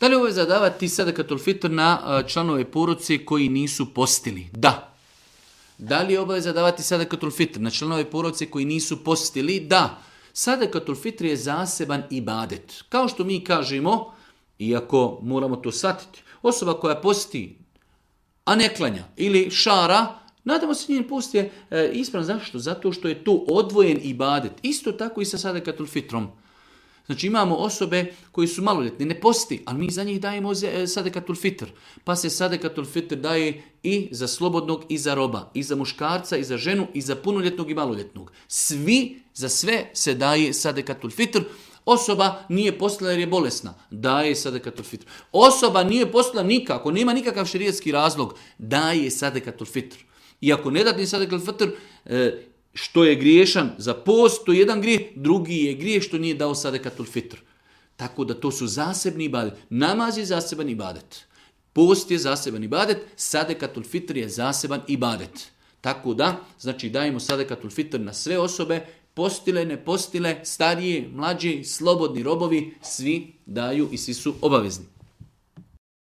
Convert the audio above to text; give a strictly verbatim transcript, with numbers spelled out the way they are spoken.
Da li je obaveza davati sadakatul fitr na članove porodice koji nisu postili? Da. Da li je obaveza davati sadakatul fitr na članove porodice koji nisu postili? Da. Sadakatul fitr je zaseban ibadet. Kao što mi kažemo, iako moramo to shvatiti, osoba koja posti, a ne klanja ili šara, nadamo se njen post je e, ispravan. Zašto? Zato što je to odvojen ibadet. Isto tako i sa sadakatul fitrom. Znači imamo osobe koji su maloljetne, ne posti, ali mi za njih dajemo sadakatul fitr. Pa se sadakatul fitr daje i za slobodnog i za roba, i za muškarca, i za ženu, i za punoljetnog i maloljetnog. Svi, za sve se daje sadakatul fitr. Osoba nije postila jer je bolesna, daje sadakatul fitr. Osoba nije postila nikako, nema nikakav šerijatski razlog, daje sadakatul fitr. I ako ne dati sadakatul fitr, e, što je griješan za post, to je jedan grijeh, drugi je grijeh što nije dao sadakatul fitr. Tako da to su zasebni ibadet. Namaz je zaseban ibadet. Post je zaseban ibadet, sadakatul fitr je zaseban ibadet. Tako da, znači dajemo sadakatul fitr na sve osobe, postile, ne postile, starije, mlađe, slobodni robovi, svi daju i svi su obavezni.